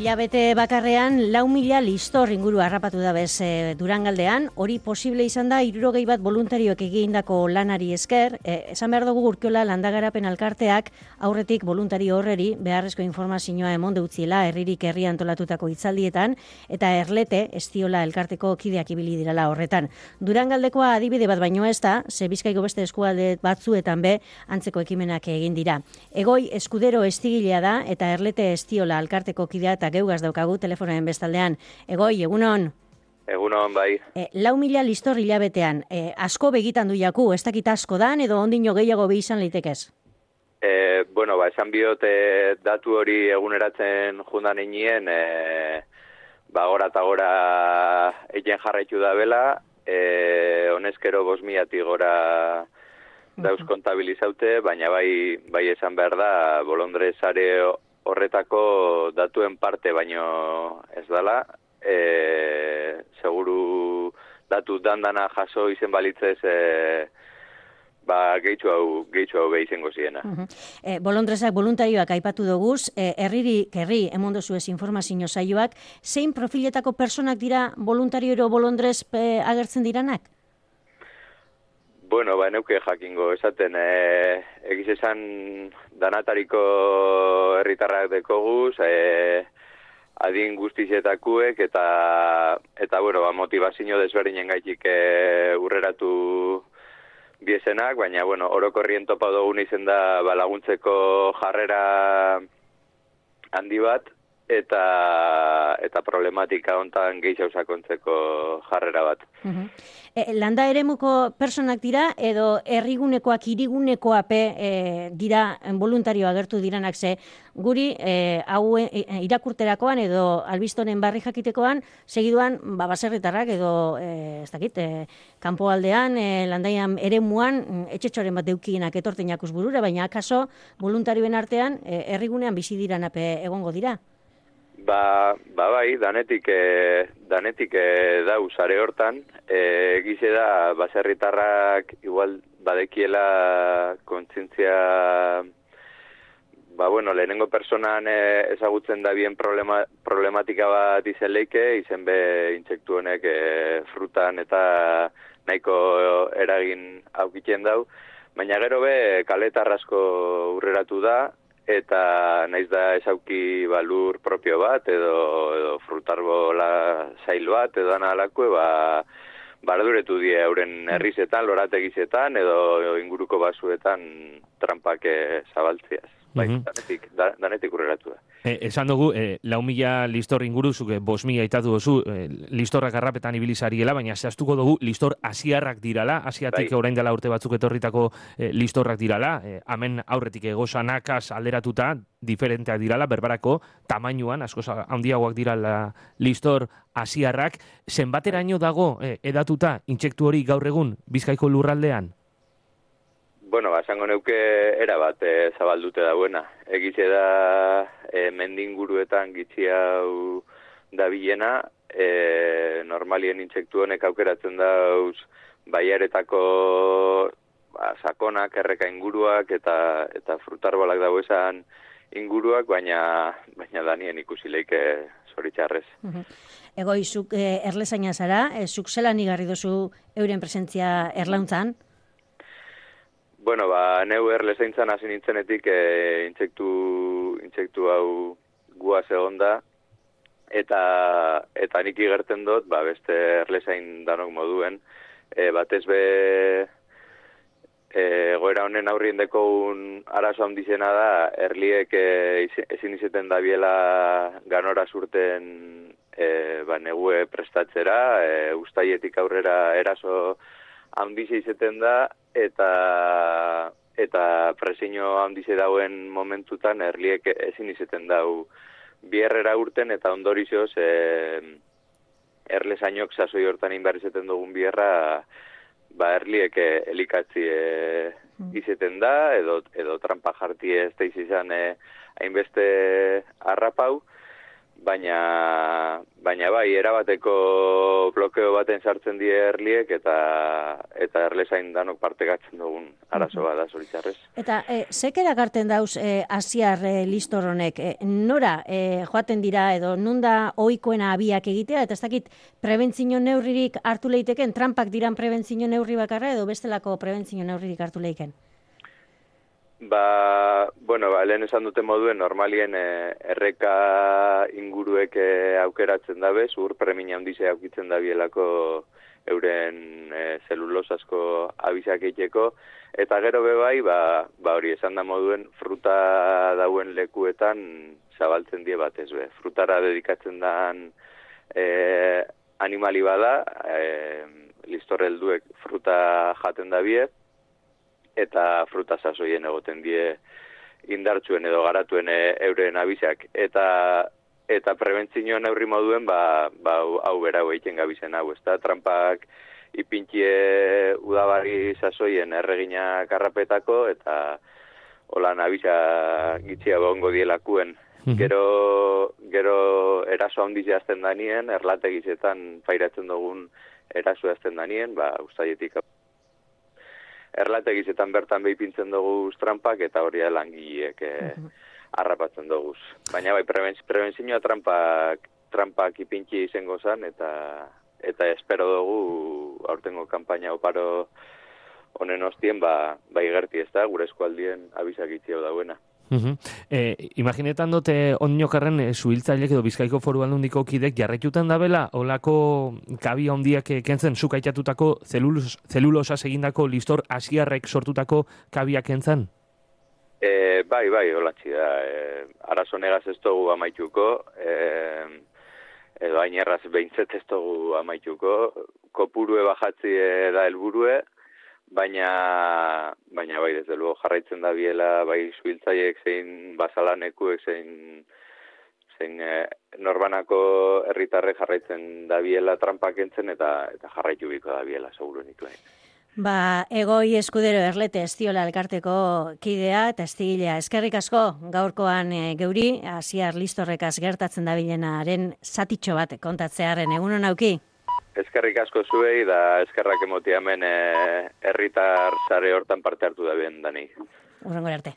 Hilabete bakarrean 4.000 listor inguru harrapatu da bez Durangaldean, hori posible izan da 61 voluntarioek egindako lanari esker. Esan behar dugu Urkiola Landagarapen Alkarteak aurretik voluntario horreri beharrezko informazioa emonde utziela herririk herri antolatutako hitzaldietan eta Erlete Estiola elkarteko kideak ibili dirala horretan. Durangaldekoa adibide bat baino ez da, ze Bizkaiko beste eskualde batzuetan be antzeko ekimenak egin dira. Egoi Eskudero estigilea da eta Erlete Estiola elkarteko kidea eta geugaz daukagu telefonoen bestaldean. Egoi, egunon? Egunon, bai. 4.000 listor hilabetean. Asko begitan du jaku, ez dakit asko dan, edo ondino gehiago behi izan leitekez? Esan biot datu hori eguneratzen jundan einien, gora eta gora egin jarraitu da bela, honezkero 5.000 gora dauz kontabilizaute, baina bai esan behar da, Bolondrez are horretako datuen parte baino ez dala, seguru datu dandana jaso izen balitzez gehitxu hau behizengo ziena. Bolondrezak voluntarioak aipatu doguz, herririk herri emondozu ez informazio saioak, zein profiletako personak dira voluntario ero Bolondrez agertzen diranak? Neuke jakingo esaten, egiz esan danatariko herritarrak dekoguz, adin guztizietakuek eta motivazio desberdinen gaitik urreratu biezenak, baina orokorrien topa dugun izen da laguntzeko jarrera handi bat, eta problematika hontan gehiago sakontzeko jarrera bat. Landa eremuko personak dira, edo herrigunekoak, hirigunekoak dira voluntario agertu diranak ze, guri hau irakurterakoan edo albistonen barri jakitekoan, segiduan baserritarrak edo, ez dakit, kanpoaldean, landaian eremuan, etxetxoren bat deukienak etorten jakuz burura, baina akaso voluntarioen artean, herrigunean bizi diranak egongo dira? Bai, danetik dau sare hortan, egize da baserritarrak igual badekiela kontzientzia, lehenengo personan ezagutzen da bien problematika bat izen leike, izen be intsektu honek frutan eta nahiko eragin aukiten dau, baina gero be kaletarrasko urreratu da, eta naiz da ezauki balur propio bat, edo frutarbola zail bat, edo analakue, barduretu die euren herrizetan, lorategizetan, edo inguruko basuetan trampak zabaltziaz. Danetik urreratu da. Esan dugu, 4.000 listor inguru, zuke 5.000 aitatu duzu, listorrak harrapetan ibilizariela, baina zehaztuko dugu listor asiarrak dirala, asiatik orain dela urte batzuk etorritako listorrak dirala, hemen aurretik egosanakaz alderatuta, diferenteak dirala, berbarako tamainuan, askoz handiagoak dirala listor asiarrak, zenbateraino dago edatuta intsektu hori gaur egun Bizkaiko lurraldean? Esango neuke erabat zabaldute dauena. Egize da mendinguruetan gitzi hau dabilena, normalien intsektu honek aukeratzen dauz baiaretako sakonak, erreka inguruak eta frutarbolak dago esan inguruak, baina danien ikusi leike zoritxarrez. Egoi, zuk erlezaina zara, zuk zelan igarri dozu euren presentzia erlauntzan? Neu erlezaintzan hasi nintzenetik intsektu hau guaz egon da, eta nik igerten dut, beste erlezain danok moduen, batez be goera honen aurrien dekogun arazo handizena da, erliek ezin izeten dabiela ganora zurten negue prestatzera, ustaietik aurrera eraso handize izeten da, eta presiño handize dauen momentutan erliek ezin izeten dau bierrera urten, eta ondorioz erlezainok sasoi hortan inbar izeten dugun bierra erliek elikatzi izeten da, edo trampa jarti ez da izan hainbeste harrapau, baina bai, erabateko blokeo baten sartzen die erliek eta erlezain danok partekatzen dugun arazo bat da zoritzarrez. Eta zek erakarten dauz asiar listor honek? Nora joaten dira edo nunda ohikoena abiak egitea, eta ez dakit prebentzio neurririk hartu leiteken, trampak diran prebentzio neurri bakarra edo bestelako prebentzio neurririk hartu leiken? Lehen esan duten moduen, normalien erreka inguruek aukeratzen dabe, zur premina handize aukitzen dabielako euren zelulosasko abizak eiteko, eta gero bebai, hori esan da moduen, fruta dauen lekuetan zabaltzen die batez be. Frutara dedikatzen dan animali bada, listorrelduek fruta jaten dabie, eta fruta sasoien egoten die indartsuen edo garatuen euren abizak. Eta prebentzio neurri moduen, hau berau egiten gabizen hau, ez da, trampak ipintxie udabari sasoien erregina karrapetako, eta holan abizak gitzia bongo dielakuen. Gero eraso handizia azten danien, erlategizetan pairatzen dugun eraso azten danien, ustaietik erlategizetan bertan behipintzen dugu trampak, eta hori langileek harrapatzen dugu. Baina prebentzioa trampak ipintxi izango zen, eta espero dugu aurtengo kanpaina oparo honen ostien, igerti ez da, gure eskualdien abizak itxio dauena. Imaginetan dute oninokarren zuhiltzailek edo Bizkaiko Foru Aldundiko kidek jarraituten dabela olako kabia handiak kentzen zuk aitatutako zelulosaz egindako listor asiarrek sortutako kabia kentzen? Bai, holatzi da. Arazo negaz ez dugu amaituko, edo ainerraz behintzet ez dugu amaituko, kopurue bajatzi da helburue, baina bai, desde luego jarraitzen da biela, bai zuhiltzaiek zein basalanekuek zein norbanako herritarrek jarraitzen da biela trampak entzen eta jarraitu biko da biela, seguro nituen. Egoi Eskudero Erlete Estiola elkarteko kidea eta estigilea. Eskerrik asko gaurkoan geuri, asiar listorrekaz gertatzen dabilenaren zatitxo bat kontatzearen. Egunon auki? Eskerrik asko zuei da eskerrak emotia hemen herritar sare hortan parte hartu da bien dani. Urrengora arte.